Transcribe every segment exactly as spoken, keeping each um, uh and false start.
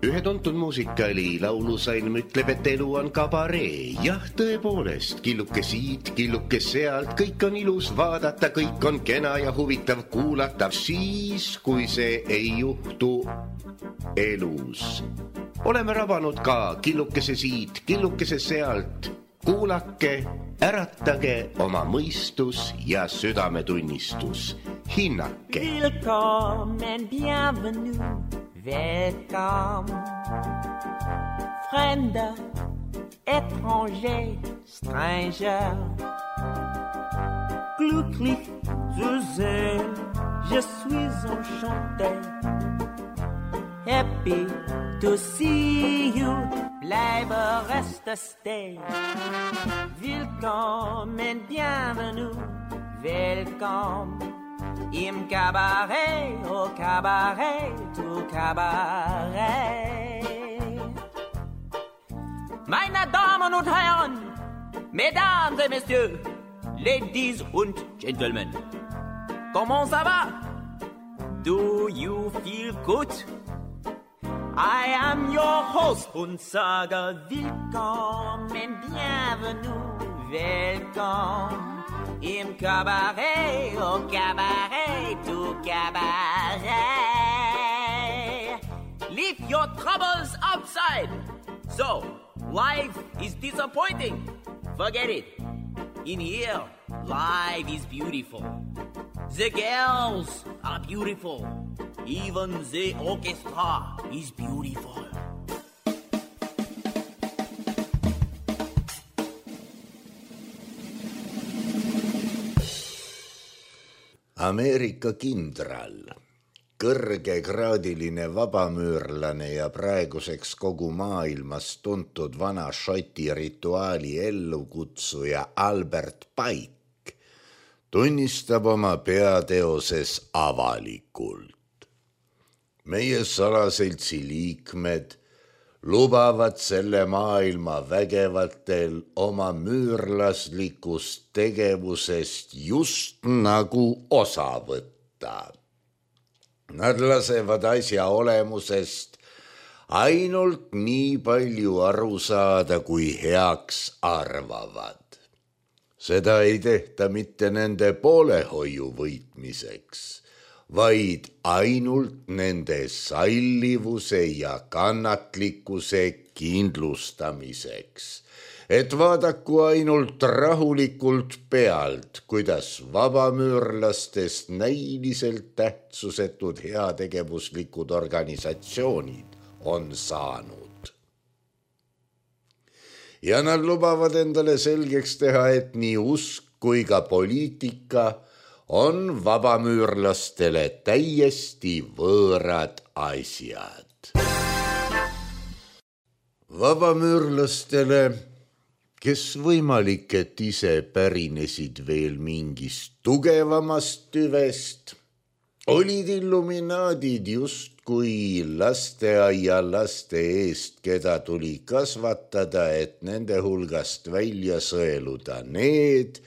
Ühe tuntud muusikaali laulusalm ütleb, et elu on kabaree. Jah, tõepoolest, killuke siit, killuke sealt, kõik on ilus vaadata, kõik on kena ja huvitav kuulata, siis kui see ei juhtu elus. Oleme rabanud ka killukese siit, killukese sealt, kuulake, äratage oma mõistus ja südametunnistus. Hinnake. Willkommen, bienvenue. Welcome, Fremder, étranger, stranger. Glücklich zu sehen, je suis enchanté. Happy to see you, bleibe, reste, stay. Willkommen, bienvenue, welcome. Im Cabaret, au Cabaret, au Cabaret. Meine Damen und Herren, Mesdames et Messieurs, Ladies und Gentlemen, comment ça va? Do you feel good? I am your host und sage willkommen, bienvenue, welcome. Im Cabaret, au Cabaret, au Cabaret. Leave your troubles outside. So, life is disappointing. Forget it. In here, life is beautiful. The girls are beautiful. Even the orchestra is beautiful. Ameerika kindral, kõrgekraadiline vabamüürlane ja praeguseks kogu maailmas tuntud vana šoti rituaali ellukutsuja Albert Pike tunnistab oma peateoses avalikult. Meie salaseltsi liikmed lubavad selle maailma vägevatel oma müürlaslikust tegevusest just nagu osa võtta. Nad lasevad asja olemusest ainult nii palju aru saada, kui heaks arvavad. Seda ei tehta mitte nende poolehoiu võitmiseks, vaid ainult nende sallivuse ja kannatlikkuse kindlustamiseks, et vaadaku ainult rahulikult pealt, kuidas vabamüürlastest näiliselt tähtsusetud heategevuslikud organisatsioonid on saanud. Ja nad lubavad endale selgeks teha, et nii usk kui ka poliitika on vabamüürlastele täiesti võõrad asjad. Vabamüürlastele, kes võimalik, et ise pärinesid veel mingist tugevamast tüvest, olid illuminaadid justkui lasteaia laste eest, keda tuli kasvatada, et nende hulgast välja sõeluda need,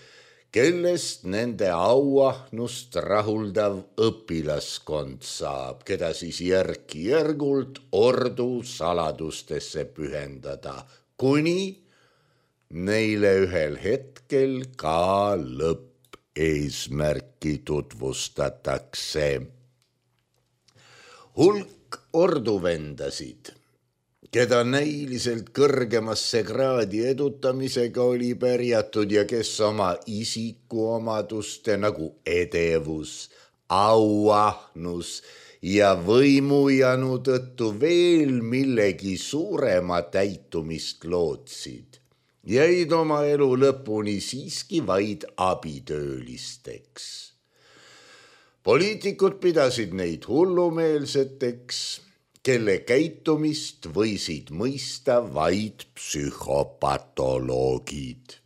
kellest nende auahnust rahuldav õpilaskond saab, keda siis järk-järgult ordu saladustesse pühendada, kuni neile ühel hetkel ka lõppeesmärki tutvustatakse. Hulk orduvendasid, keda näiliselt kõrgemasse kraadi edutamisega oli pärjatud ja kes oma isikuomaduste nagu edevus, auahnus ja võimujanu tõttu veel millegi suurema täitumist lootsid, jäid oma elu lõpuni siiski vaid abitöölisteks. Poliitikud pidasid neid hullumeelseteks, kelle käitumist võisid mõista vaid psühhopatoloogid.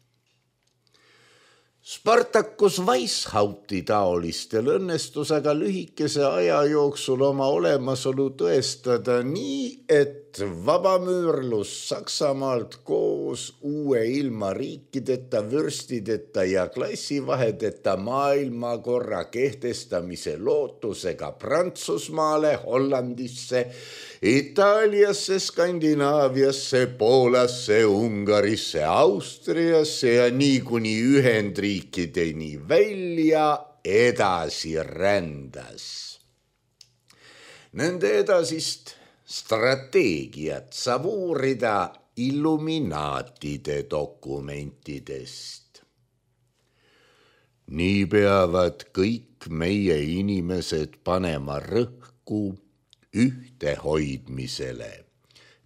Spartacus Weishaupi taolistel õnnestus aga lühikese aja jooksul oma olemasolu tõestada nii, et vabamüürlus Saksamaalt koos uue ilma riikideta, vürstideta ja klassivahedeta maailmakorra kehtestamise lootusega Prantsusmaale, Hollandisse, Itaaliasse, Skandinaaviasse, Poolasse, Ungarisse, Austriasse ja nii kuni Ühendriikideni välja edasi rändas. Nende edasist strateegiat saab uurida illuminaatide dokumentidest. Nii peavad kõik meie inimesed panema rõhku ühtehoidmisele,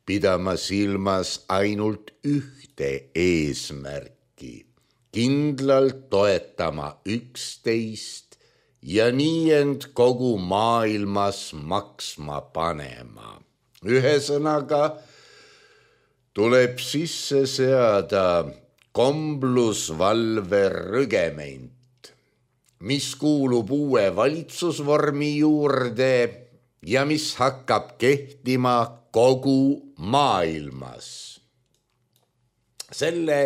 pidama silmas ainult ühte eesmärki, kindlalt toetama üksteist ja nii end kogu maailmas maksma panema. Ühesõnaga tuleb sisse seada komblusvalve rügement, mis kuulub uue valitsusvormi juurde ja mis hakkab kehtima kogu maailmas. Selle,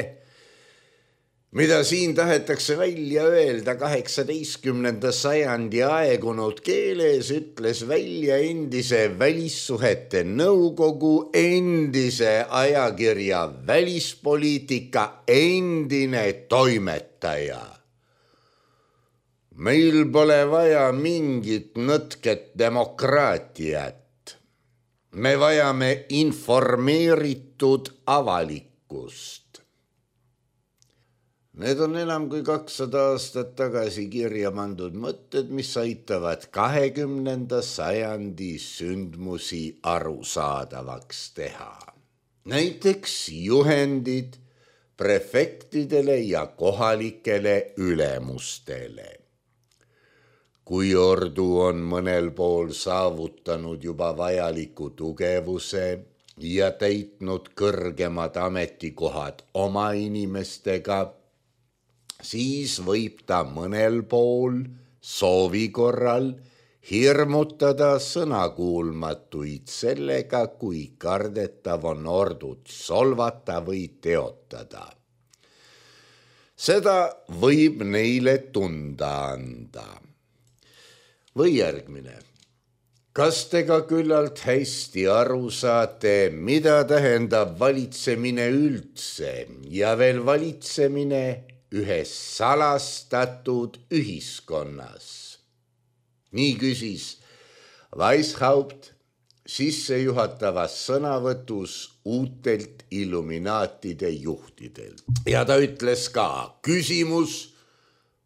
mida siin tahetakse välja öelda kaheksateistkümnenda sajandi aegunud keeles, ütles välja endise välissuhete nõukogu, endise ajakirja välispoliitika endine toimetaja. Meil pole vaja mingit nõtket demokraatiat. Me vajame informeeritud avalikkust. Need on enam kui kakssada aastat tagasi kirja pandud mõtted, mis aitavad kahekümnenda sajandi sündmusi arusaadavaks teha. Näiteks juhendid prefektidele ja kohalikele ülemustele. Kui ordu on mõnel pool saavutanud juba vajaliku tugevuse ja täitnud kõrgemad ametikohad oma inimestega, siis võib ta mõnel pool soovi korral hirmutada sõnakuulmatuid sellega, kui kardetav on ordut solvata või teotada. Seda võib neile tunda anda. Või järgmine. Kas te ka küllalt hästi aru saate, mida tähendab valitsemine üldse ja veel valitsemine ühes salastatud ühiskonnas? Nii küsis Weishaupt sissejuhatavas sõnavõtus uutelt illuminaatide juhtidelt. Ja ta ütles ka, küsimus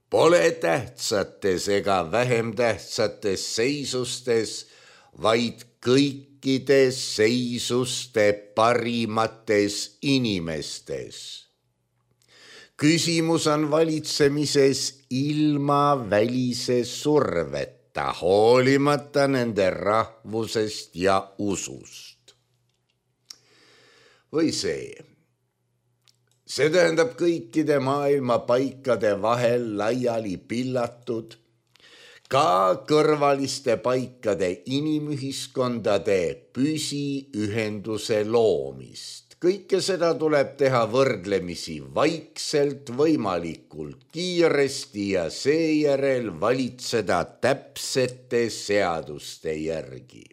pole tähtsates ega vähem tähtsates seisustes, vaid kõikides seisuste parimates inimestes. Küsimus on valitsemises ilma välise surveta, hoolimata nende rahvusest ja usust. Või see. See tähendab kõikide maailma paikade vahel laiali pillatud, ka kõrvaliste paikade inimühiskondade püsiühenduse loomist. Kõike seda tuleb teha võrdlemisi vaikselt, võimalikult kiiresti ja seejärel valitseda täpsete seaduste järgi.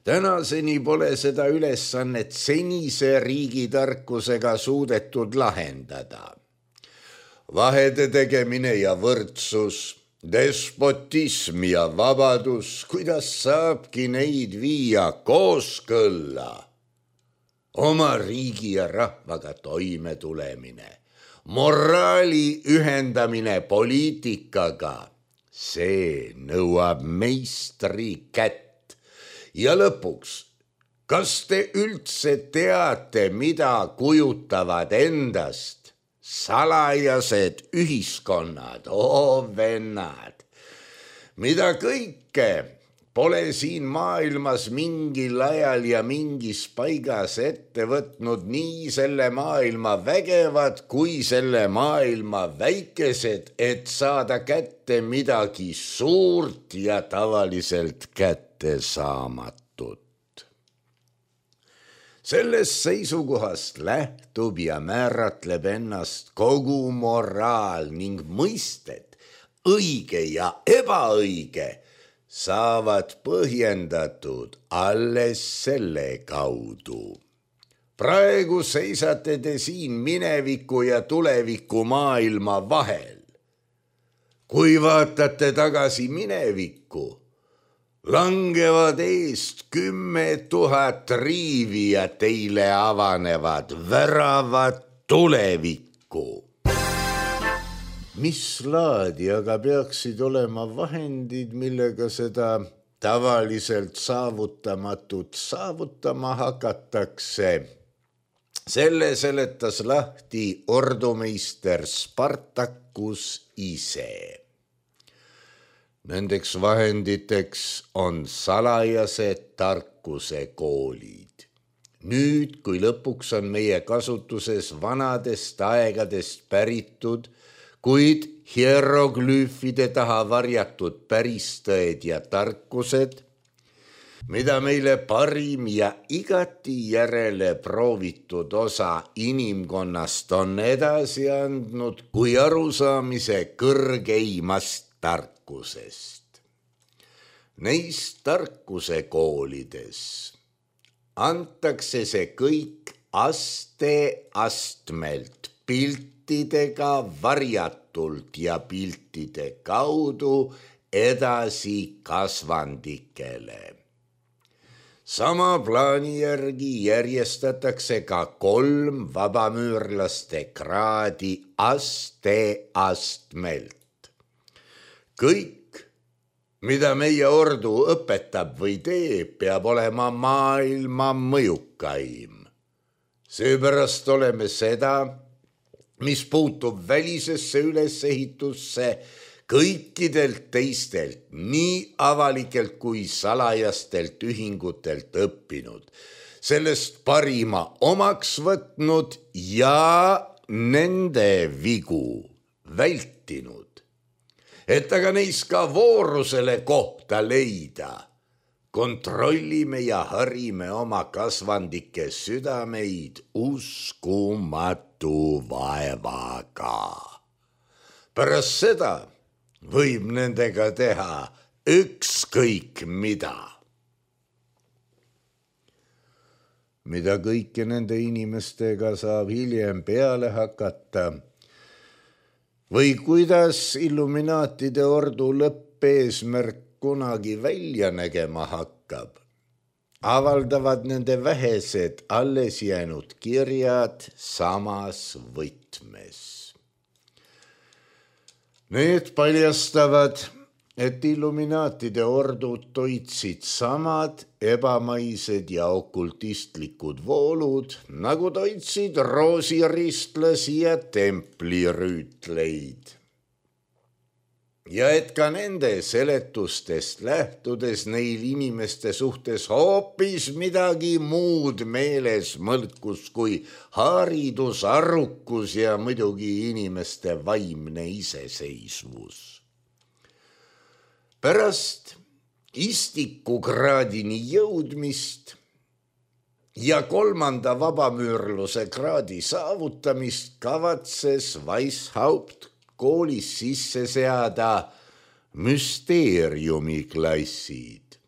Tänaseni pole seda ülesannet senise riigitarkusega suudetud lahendada. Vahede tegemine ja võrdsus, despotism ja vabadus, kuidas saabki neid viia kooskõlla? Oma riigi ja rahvaga toime tulemine, moraali ühendamine poliitikaga, see nõuab meistri kätt. Ja lõpuks, kas te üldse teate, mida kujutavad endast salajased ühiskonnad, oo vennad, mida kõike pole siin maailmas mingil ajal ja mingis paigas ette võtnud nii selle maailma vägevad kui selle maailma väikesed, et saada kätte midagi suurt ja tavaliselt kätte saamatut. Sellest seisukohast lähtub ja määratleb ennast kogu moraal ning mõisted, õige ja ebaõige, saavad põhjendatud alles selle kaudu. Praegu seisate te siin mineviku ja tuleviku maailma vahel. Kui vaatate tagasi minevikku, langevad eest kümme tuhat riivi ja teile avanevad väravad tulevikku. Mis laadi aga peaksid olema vahendid, millega seda tavaliselt saavutamatut saavutama hakatakse? Selle seletas lahti ordumeister Spartacus ise. Nendeks vahenditeks on salajased tarkuse koolid. Nüüd, kui lõpuks on meie kasutuses vanadest aegadest päritud, kuid hieroglüüfide taha varjatud päristõed ja tarkused, mida meile parim ja igati järele proovitud osa inimkonnast on edasi andnud kui arusaamise kõrgeimast tarkusest. Neis tarkuse koolides antakse see kõik aste astmelt piltidega varjatult ja piltide kaudu edasi kasvandikele. Sama plaani järgi järjestatakse ka kolm vabamüürlaste kraadi aste astmelt. Kõik, mida meie ordu õpetab või teeb, peab olema maailma mõjukaim. Seepärast oleme seda, mis puutub välisesse ülesehitusse, kõikidelt teistelt, nii avalikelt kui salajastelt ühingutelt õppinud, sellest parima omaks võtnud ja nende vigu vältinud, et aga neis ka voorusele kohta leida. Kontrollime ja harime oma kasvandike südameid uskumatu vaevaga. Pärast seda võib nendega teha ükskõik mida. Mida kõike nende inimestega saab hiljem peale hakata või kuidas illuminaatide ordu lõppeesmärk kunagi välja nägema hakkab, avaldavad nende vähesed alles jäänud kirjad samas võtmes. Need paljastavad, et illuminaatide ordud toitsid samad ebamaised ja okultistlikud voolud, nagu toitsid roosiristlasi ja templirüütleid. Ja et ka nende seletustest lähtudes neil inimeste suhtes hoopis midagi muud meeles mõlkus kui haridus, arrukus ja muidugi inimeste vaimne iseseisvus. Pärast istikukraadini jõudmist ja kolmanda vabamüürluse kraadi saavutamist kavatses Weishaupt koolis sisse seada müsteeriumiklassid.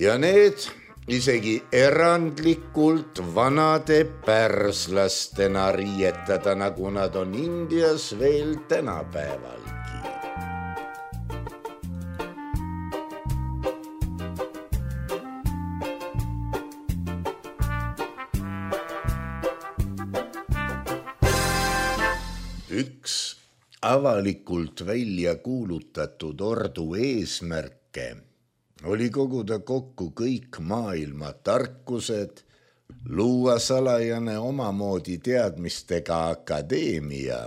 Ja need isegi erandlikult vanade pärslastena riietada, nagu nad on Indias veel tänapäevalgi. Üks avalikult välja kuulutatud ordu eesmärke oli koguda kokku kõik maailma tarkused, luua salajane omamoodi teadmistega akadeemia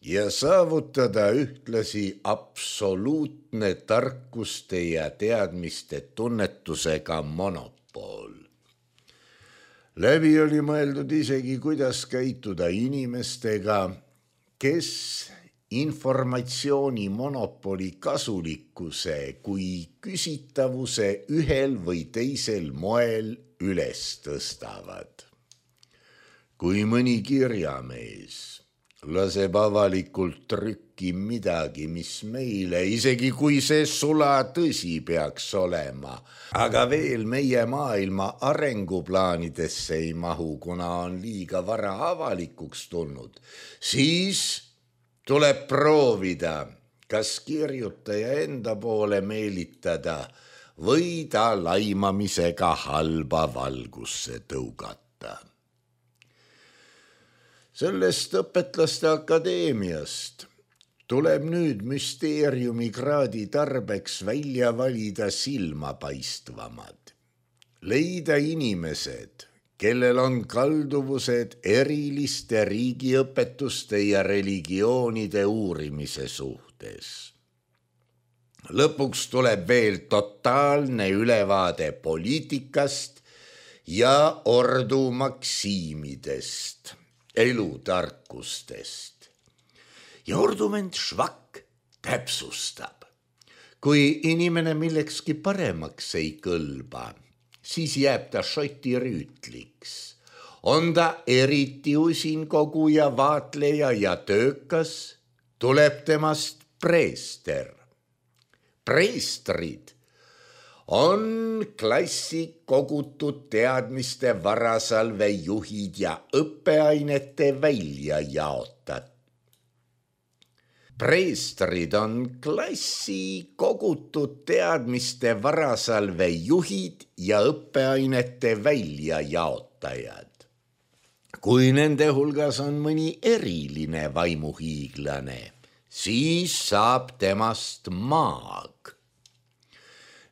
ja saavutada ühtlasi absoluutne tarkuste ja teadmiste tunnetusega monopool. Läbi oli mõeldud isegi, kuidas käituda inimestega, kes informatsiooni monopoli kasulikkuse kui küsitavuse ühel või teisel moel üles tõstavad. Kui mõni kirjamees laseb avalikult trükki midagi, mis meile, isegi kui see sula tõsi peaks olema, aga veel meie maailma arenguplaanidesse ei mahu, kuna on liiga vara avalikuks tulnud, siis tuleb proovida, kas kirjutaja enda poole meelitada või ta laimamisega halba valgusse tõugata. Sellest õpetlaste akadeemiast tuleb nüüd müsteeriumi kraadi tarbeks välja valida silmapaistvamad. Leida inimesed, kellel on kalduvused eriliste riigiõpetuste ja religioonide uurimise suhtes. Lõpuks tuleb veel totaalne ülevaade poliitikast ja ordu maksiimidest, elutarkustest. Ja ordument Švak täpsustab. Kui inimene millekski paremaks ei kõlba, siis jääb ta šoti rüütliks. On ta eriti usin koguja, vaatleja ja töökas, tuleb temast preester. Preestrid on klassi kogutud teadmiste varasalve juhid ja õppeainete välja jaotad. Preestrid on klassi kogutud teadmiste varasalve juhid ja õppeainete välja jaotajad. Kui nende hulgas on mõni eriline vaimuhiiglane, siis saab temast maag.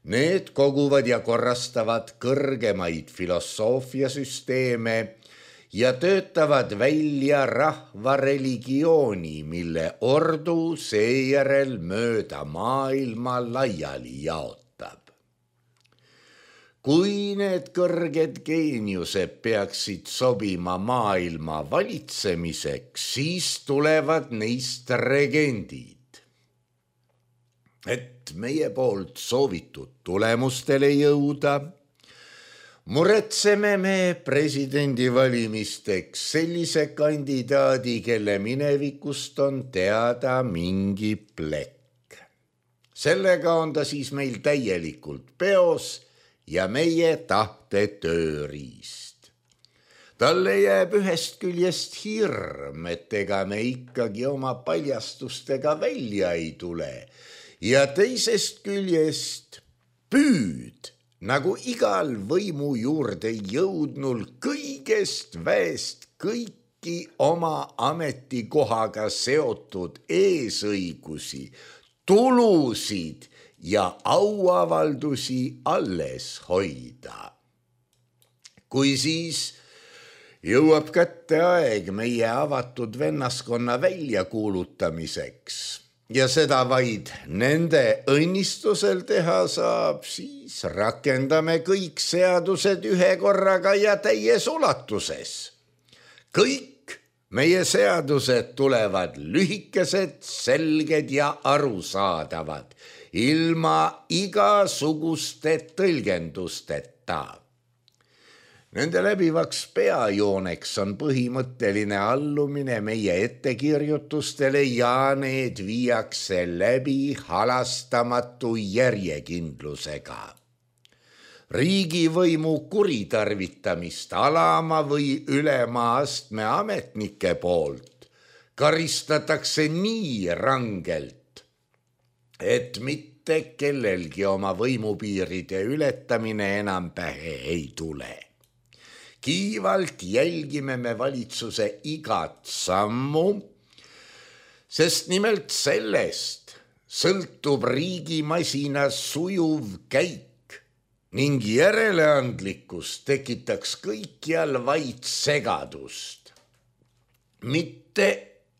Need koguvad ja korrastavad kõrgemaid filosoofiasüsteeme ja töötavad välja rahva religiooni, mille ordu seejärel mööda maailma laiali jaotab. Kui need kõrged geeniused peaksid sobima maailma valitsemiseks, siis tulevad neist regendid. Et meie poolt soovitud tulemustele jõuda, muretseme me presidendivalimisteks sellise kandidaadi, kelle minevikust on teada mingi plekk. Sellega on ta siis meil täielikult peos ja meie tahte tööriist. Talle jääb ühest küljest hirm, et ega me ikkagi oma paljastustega välja ei tule, ja teisest küljest püüd, nagu igal võimu juurde jõudnul kõigest väest kõiki oma ametikohaga seotud eesõigusi, tulusid ja auavaldusi alles hoida. Kui siis jõuab kätte aeg meie avatud vennaskonna väljakuulutamiseks, ja seda vaid nende õnnistusel teha saab, siis rakendame kõik seadused ühe korraga ja täies ulatuses. Kõik meie seadused tulevad lühikesed, selged ja arusaadavad, ilma igasuguste tõlgendusteta. Nende läbivaks peajooneks on põhimõtteline allumine meie ettekirjutustele ja need viiakse läbi halastamatu järjekindlusega. Riigivõimu kuritarvitamist alama või ülema astme ametnike poolt karistatakse nii rangelt, et mitte kellelgi oma võimupiiride ületamine enam pähe ei tule. Kiivalt jälgime me valitsuse igat sammu, sest nimelt sellest sõltub riigimasina sujuv käik ning järeleandlikkus tekitaks kõikjal vaid segadust. Mitte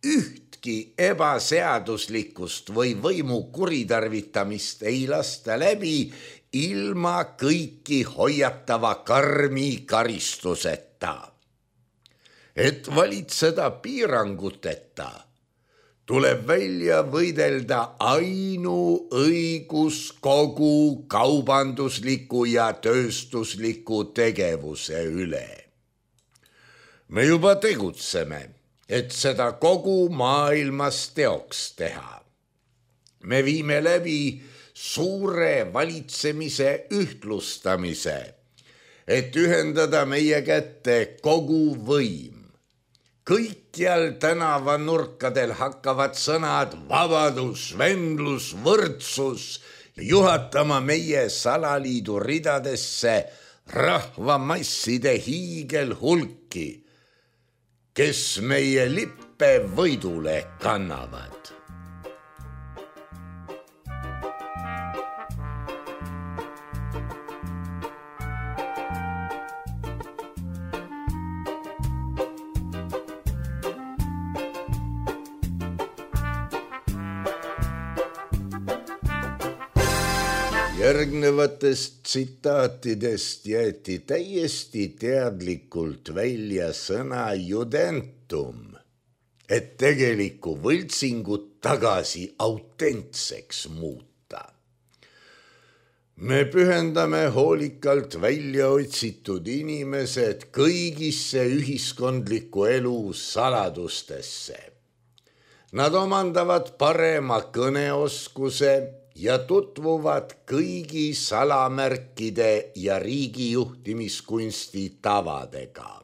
üht ühtki ebaseaduslikust või võimu kuritarvitamist ei lasta läbi ilma kõiki hoiatava karmi karistuseta. Et valitseda piiranguteta, tuleb välja võidelda ainuõigus kogu kaubandusliku ja tööstusliku tegevuse üle. Me juba tegutseme, et seda kogu maailmas teoks teha. Me viime läbi suure valitsemise ühtlustamise, et ühendada meie kätte kogu võim. Kõikjal tänavanurkadel hakkavad sõnad vabadus, vendlus, võrdsus juhatama meie salaliidu ridadesse rahvamasside hiigelhulki, kes meie lippe võidule kannavad. Järgnevatest tsitaatidest jäeti täiesti teadlikult välja sõna judentum, et tegelikku võltsingut tagasi autentseks muuta. Me pühendame hoolikalt välja otsitud inimesed kõigisse ühiskondliku elu saladustesse. Nad omandavad parema kõneoskuse ja tutvuvad kõigi salamärkide ja riigijuhtimiskunsti tavadega.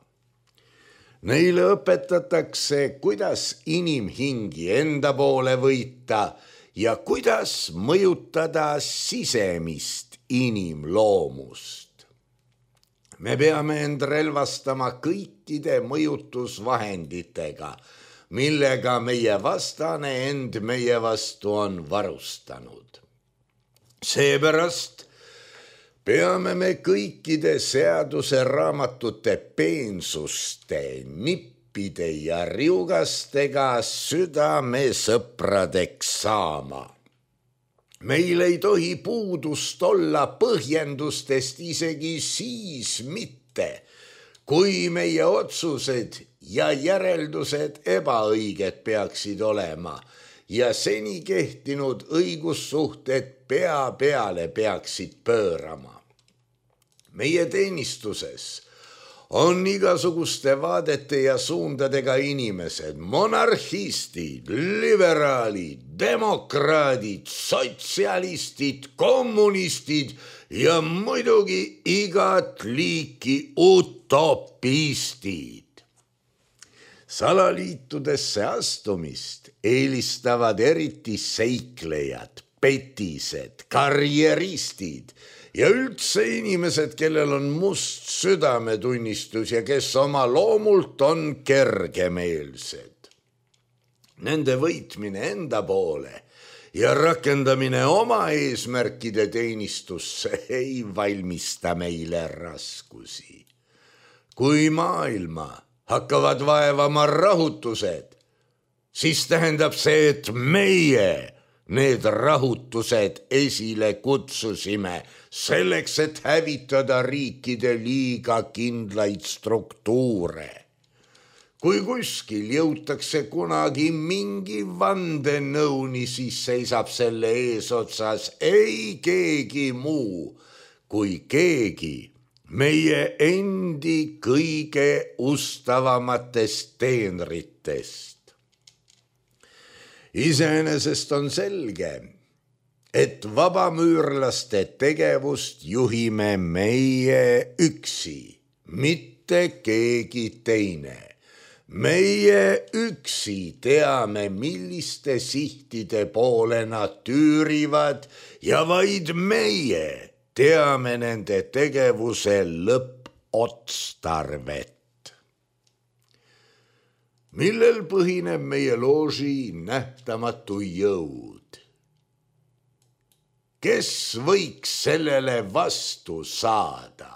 Neile õpetatakse, kuidas inimhingi enda poole võita ja kuidas mõjutada sisemist inimloomust. Me peame end relvastama kõikide mõjutusvahenditega, millega meie vastane end meie vastu on varustanud. Seepärast peame me kõikide seaduse raamatute peensuste, nippide ja riugastega südamesõpradeks saama. Meil ei tohi puudust olla põhjendustest isegi siis mitte, kui meie otsused ja järeldused ebaõiged peaksid olema ja seni kehtinud õigussuhted pea peale peaksid pöörama. Meie teenistuses on igasuguste vaadete ja suundadega inimesed, monarhistid, liberaalid, demokraadid, sotsialistid, kommunistid ja muidugi igat liiki utopistid. Salaliitudesse astumist eelistavad eriti seiklejad, petised, karjeristid ja üldse inimesed, kellel on must südametunnistus ja kes oma loomult on kergemeelsed. Nende võitmine enda poole ja rakendamine oma eesmärkide teenistusse ei valmista meile raskusi. Kui maailma hakkavad vaevama rahutused, siis tähendab see, et meie need rahutused esile kutsusime selleks, et hävitada riikide liiga kindlaid struktuure. Kui kuskil jõutakse kunagi mingi vandenõuni, siis seisab selle eesotsas ei keegi muu kui keegi meie endi kõige ustavamatest teenritest. Iseenesest on selge, et vabamüürlaste tegevust juhime meie üksi, mitte keegi teine. Meie üksi teame, milliste sihtide poole nad tüürivad ja vaid meie teame nende tegevuse lõppotstarvet. Millel põhineb meie looži nähtamatu jõud? Kes võiks sellele vastu saada?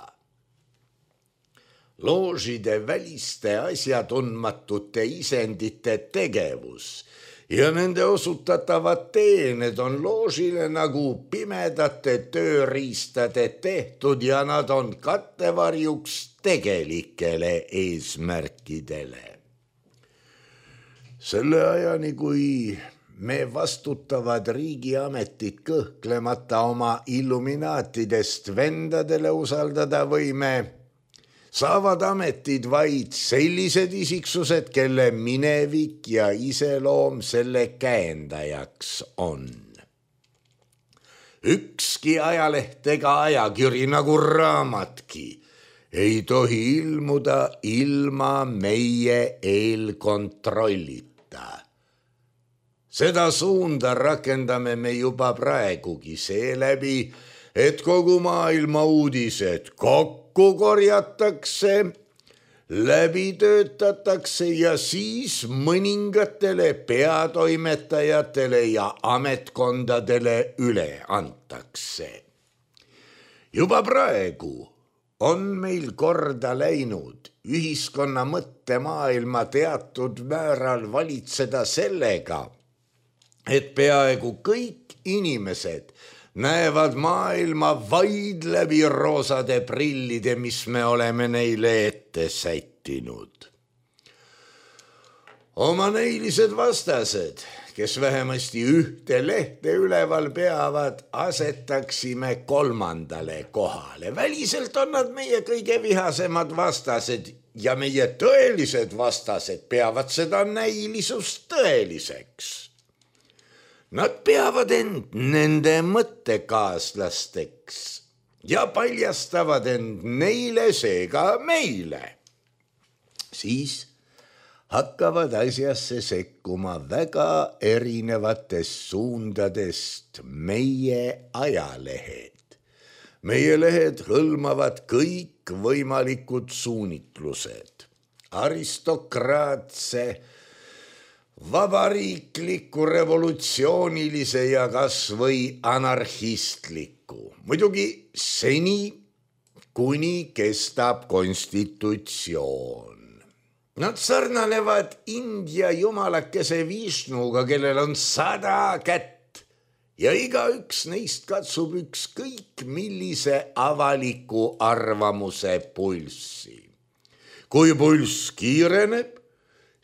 loožide väliste asjatundmatute isendite tegevus ja nende osutatavad teened on loožile nagu pimedate tööriistade tehtud ja nad on kattevarjuks tegelikele eesmärkidele. Selle ajani, kui me vastutavad riigiametit kõhklemata oma illuminaatidest vendadele usaldada võime, saavad ametid vaid sellised isiksused, kelle minevik ja iseloom selle käendajaks on. Ükski ajaleht ega ajakiri nagu raamatki ei tohi ilmuda ilma meie eelkontrollita. Seda suunda rakendame me juba praegugi seeläbi, et kogu maailma uudised kokku korjatakse, läbi töötatakse ja siis mõningatele peatoimetajatele ja ametkondadele üle antakse. Juba praegu on meil korda läinud ühiskonna mõttemaailma teatud määral valitseda sellega, et peaaegu kõik inimesed näevad maailma vaid läbi roosade prillide, mis me oleme neile ette sättinud. Oma näilised vastased, kes vähemasti ühte lehte üleval peavad, asetaksime kolmandale kohale. Väliselt on nad meie kõige vihasemad vastased ja meie tõelised vastased peavad seda näilisust tõeliseks. Nad peavad end nende mõttekaaslasteks ja paljastavad end neile, seega meile. Siis hakkavad asjasse sekkuma väga erinevatest suundadest meie ajalehed. Meie lehed hõlmavad kõik võimalikud suunitlused, aristokraatse, vabariikliku, revolutsioonilise ja kas või anarhistliku. Muidugi seni, kuni kestab konstitutsioon. Nad sarnanevad India jumalakese Vishnuga, kellel on sada kätt ja igaüks neist katsub ükskõik millise avaliku arvamuse pulssi. Kui pulss kiireneb,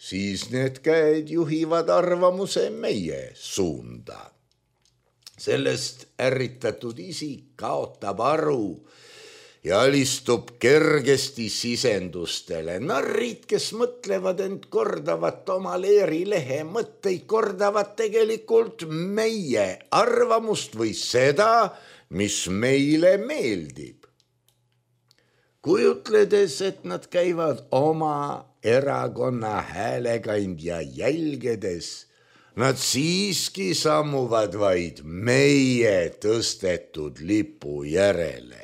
siis need käed juhivad arvamuse meie suunda. Sellest ärritatud isik kaotab aru ja alistub kergesti sisendustele. Narrid, kes mõtlevad end kordavat oma leerilehe mõtteid, kordavad tegelikult meie arvamust või seda, mis meile meeldib. Kujutledes, et nad käivad oma erakonna häälekandja jälgedes, nad siiski sammuvad vaid meie tõstetud lipu järele.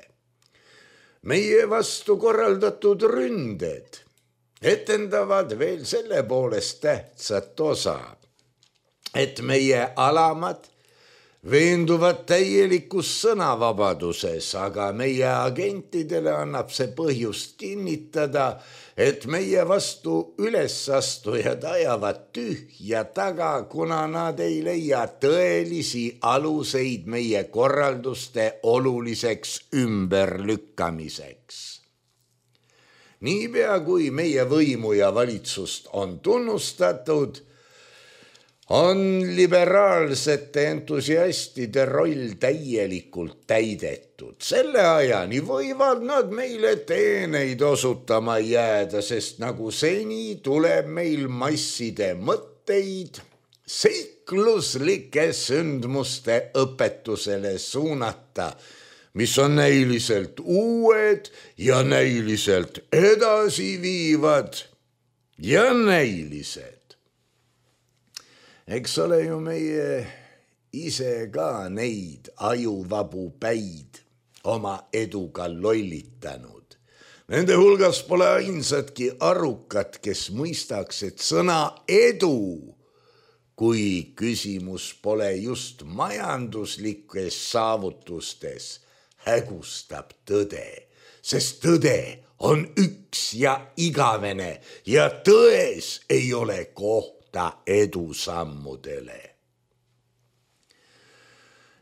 Meie vastu korraldatud ründed etendavad veel selle poolest tähtsat osa, et meie alamad veenduvad täielikus sõnavabaduses, aga meie agentidele annab see põhjust kinnitada, et meie vastu ülesastujad ajavad tühja taga, kuna nad ei leia tõelisi aluseid meie korralduste oluliseks ümberlükkamiseks. Niipea kui meie võimu ja valitsust on tunnustatud, on liberaalsete entusiastide roll täielikult täidetud. Selle ajani võivad nad meile teeneid osutama jääda, sest nagu seni tuleb meil masside mõtteid seikluslike sündmuste õpetusele suunata, mis on näiliselt uued ja näiliselt edasiviivad ja näilised. Eks ole ju meie ise ka neid ajuvabu päid oma eduga lollitanud. Nende hulgas pole ainsatki arukat, kes mõistaks, et sõna edu, kui küsimus pole just majanduslikes saavutustes, hägustab tõde. sest tõde on üks ja igavene ja tões ei ole kohta edusammudele.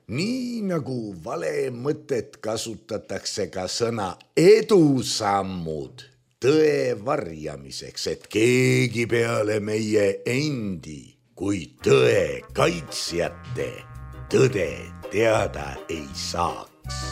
Nii nagu vale mõtet kasutatakse ka sõna edusammud tõe varjamiseks, et keegi peale meie endi kui tõe kaitsjate tõde teada ei saaks.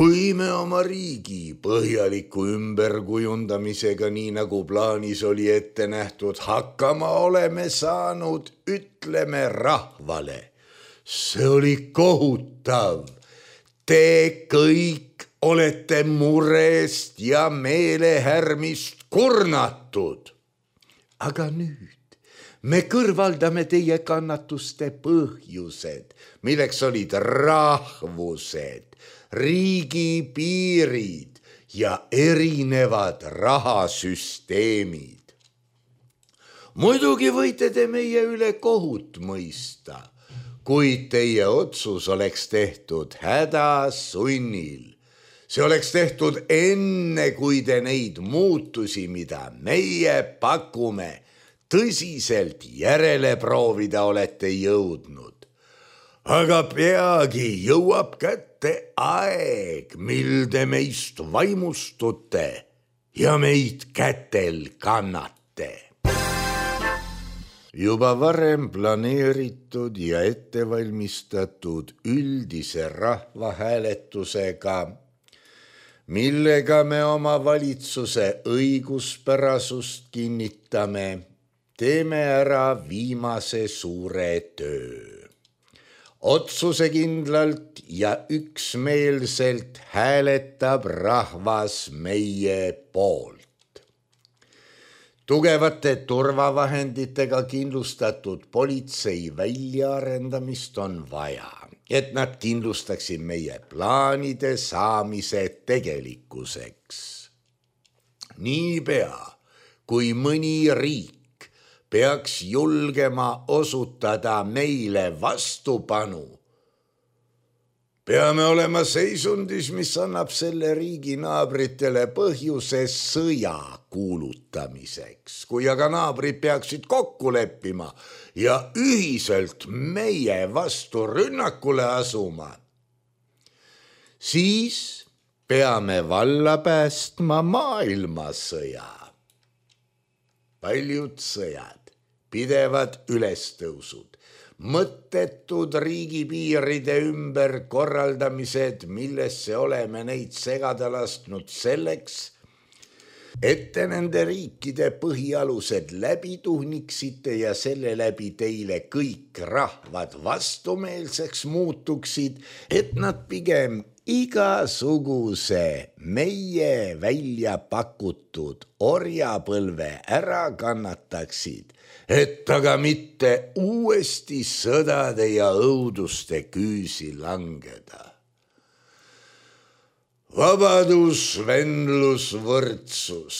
Kui me oma riigi põhjaliku ümberkujundamisega, nii nagu plaanis oli ette nähtud, hakkama oleme saanud, ütleme rahvale. See oli kohutav. Te kõik olete murest ja meelehärmist kurnatud. Aga nüüd me kõrvaldame teie kannatuste põhjused, milleks olid rahvused, riigi piirid ja erinevad rahasüsteemid. Muidugi võite te meie üle kohut mõista, kuid teie otsus oleks tehtud hädasunnil. See oleks tehtud enne, kui te neid muutusi, mida meie pakume, tõsiselt järele proovida olete jõudnud. Aga peagi jõuab kätte aeg, mil te meist vaimustute ja meid kätel kannate. Juba varem planeeritud ja ettevalmistatud üldise rahvahääletusega, millega me oma valitsuse õiguspärasust kinnitame, teeme ära viimase suure töö. Otsusekindlalt ja üksmeelselt hääletab rahvas meie poolt. Tugevate turvavahenditega kindlustatud politsei väljaarendamist on vaja, et nad kindlustaksid meie plaanide saamise tegelikkuseks. Niipea, kui mõni riik peaks julgema osutada meile vastupanu, peame olema seisundis, mis annab selle riigi naabritele põhjuse sõja kuulutamiseks. Kui aga naabrid peaksid kokku leppima ja ühiselt meie vastu rünnakule asuma, siis peame valla päästma maailmasõja. Paljud sõjad, pidevad ülestõusud, mõttetud riigipiiride ümber korraldamised, millesse oleme neid segada lasknud selleks, et te nende riikide põhialused läbi tuhniksite ja selle läbi teile kõik rahvad vastumeelseks muutuksid, et nad pigem igasuguse meie välja pakutud orjapõlve ära kannataksid, et aga mitte uuesti sõdade ja õuduste küüsi langeda. Vabadus, vendlus, võrdsus.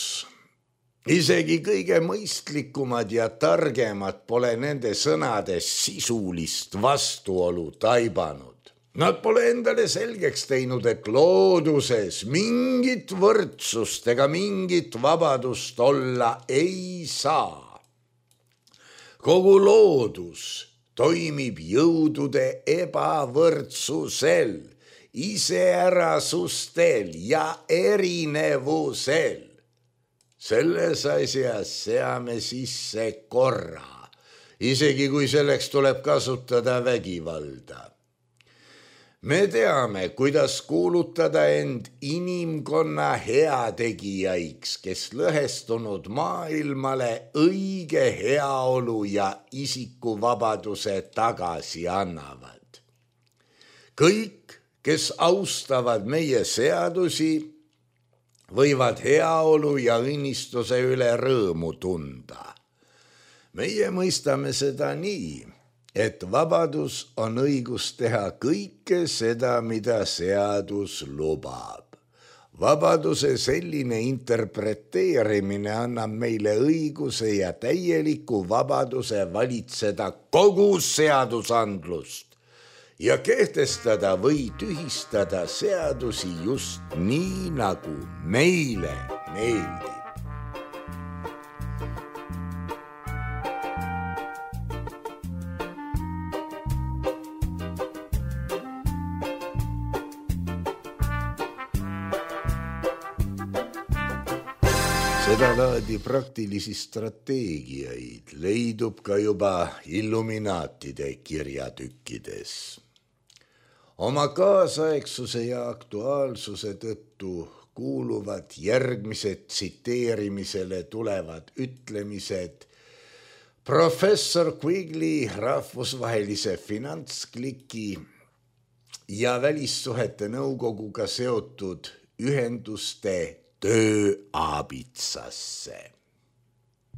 Isegi kõige mõistlikumad ja targemad pole nende sõnade sisulist vastuolu taibanud. Nad pole endale selgeks teinud, et looduses mingit võrdsust ega mingit vabadust olla ei saa. Kogu loodus toimib jõudude ebavõrdsusel, iseärasustel ja erinevusel. Selles asjas seame sisse korra, isegi kui selleks tuleb kasutada vägivalda. Me teame, kuidas kuulutada end inimkonna heategijaiks, kes lõhestunud maailmale õige heaolu ja isikuvabaduse tagasi annavad. Kõik, kes austavad meie seadusi, võivad heaolu ja õnnistuse üle rõõmu tunda. Meie mõistame seda nii, et vabadus on õigus teha kõike seda, mida seadus lubab. Vabaduse selline interpreteerimine annab meile õiguse ja täieliku vabaduse valitseda kogu seadusandlust ja kehtestada või tühistada seadusi just nii, nagu meile meeldib. Sedalaadi praktilisi strateegiaid leidub ka juba illuminaatide kirjatükkides. Oma kaasaegsuse ja aktuaalsuse tõttu kuuluvad järgmised tsiteerimisele tulevad ütlemised professor Quigley rahvusvahelise finantskliki ja välissuhete nõukoguga seotud ühenduste tööaabitsasse.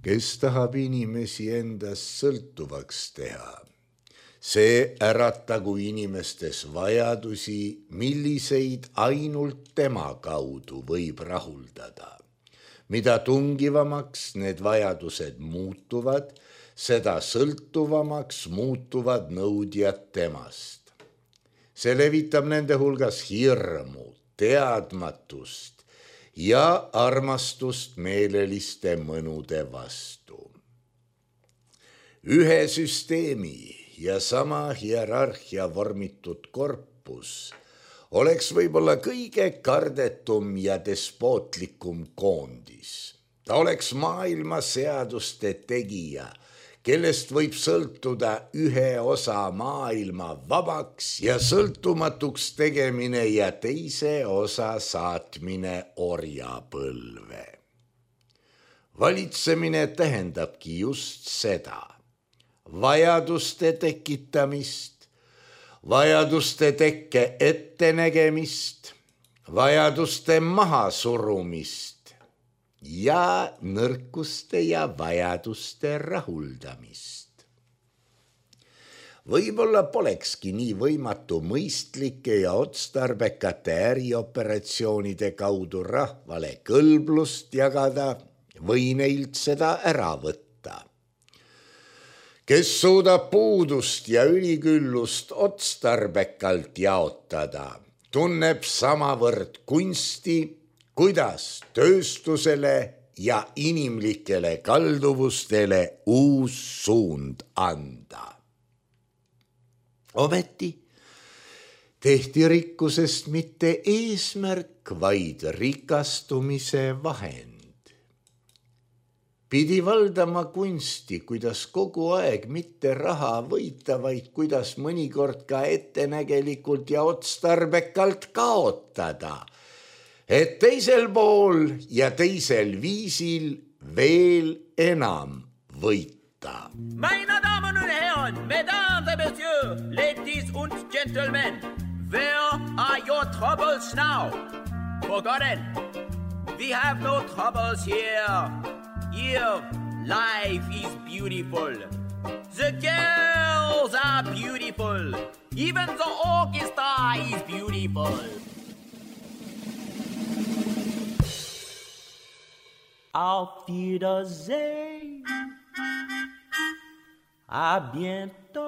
Kes tahab inimesi endast sõltuvaks teha? See äratagu inimestes vajadusi, milliseid ainult tema kaudu võib rahuldada. Mida tungivamaks need vajadused muutuvad, seda sõltuvamaks muutuvad nõudjad temast. See levitab nende hulgas hirmu, teadmatust ja armastust meeleliste mõnude vastu. Ühe süsteemi ja sama hierarhia vormitud korpus oleks võib-olla kõige kardetum ja despootlikum koondis. Ta oleks maailma seaduste tegija, kellest võib sõltuda ühe osa maailma vabaks ja sõltumatuks tegemine ja teise osa saatmine orjapõlve. Valitsemine tähendabki just seda, vajaduste tekitamist, vajaduste tekke ettenägemist, vajaduste mahasurumist ja nõrkuste ja vajaduste rahuldamist. Võib-olla polekski nii võimatu mõistlike ja otstarbekate ärioperatsioonide kaudu rahvale kõlblust jagada või neilt seda ära võtta. Kes suudab puudust ja üliküllust otstarbekalt jaotada, tunneb samavõrd kunsti, kuidas tööstusele ja inimlikele kalduvustele uus suund anda. Ometi tehti rikkusest mitte eesmärk, vaid rikastumise vahend. Pidi valdama kunsti, kuidas kogu aeg mitte raha võita, vaid kuidas mõnikord ka ettenägelikult ja otstarbekalt kaotada, et teisel pool ja teisel viisil veel enam võita. Meine Damen und Herren, Mesdames et Messieurs, Ladies und Gentlemen, where are your troubles now? Forgotten, we have no troubles here. Here, life is beautiful. The girls are beautiful. Even the orchestra is beautiful. Auf Wiedersehen. À bientôt.